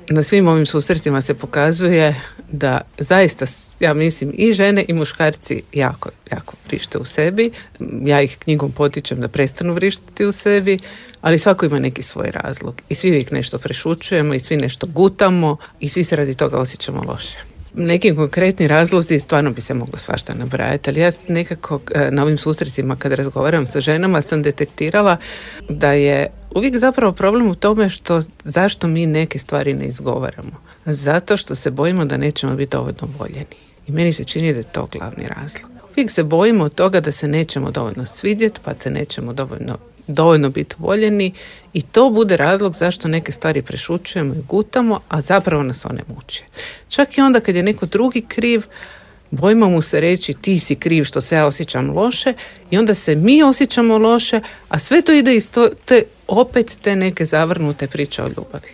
na svim ovim susretima se pokazuje da zaista, ja mislim, i žene i muškarci jako, jako vrište u sebi. Ja ih knjigom potičem da prestanu vrištiti u sebi, ali svako ima neki svoj razlog. I svi uvijek nešto prešućujemo i svi nešto gutamo i svi se radi toga osjećamo loše. Neki konkretni razlozi stvarno bi se moglo svašta nabrajati, ali ja nekako na ovim susretima kad razgovaram sa ženama sam detektirala da je uvijek zapravo problem u tome zašto mi neke stvari ne izgovaramo. Zato što se bojimo da nećemo biti dovoljno voljeni. I meni se čini da je to glavni razlog. Uvijek se bojimo od toga da se nećemo dovoljno svidjeti, pa se nećemo dovoljno biti voljeni i to bude razlog zašto neke stvari prešućujemo i gutamo, a zapravo nas one muče. Čak i onda kad je neko drugi kriv, bojimo mu se reći ti si kriv što se ja osjećam loše i onda se mi osjećamo loše, a sve to ide iz opet te neke zavrnute priče o ljubavi.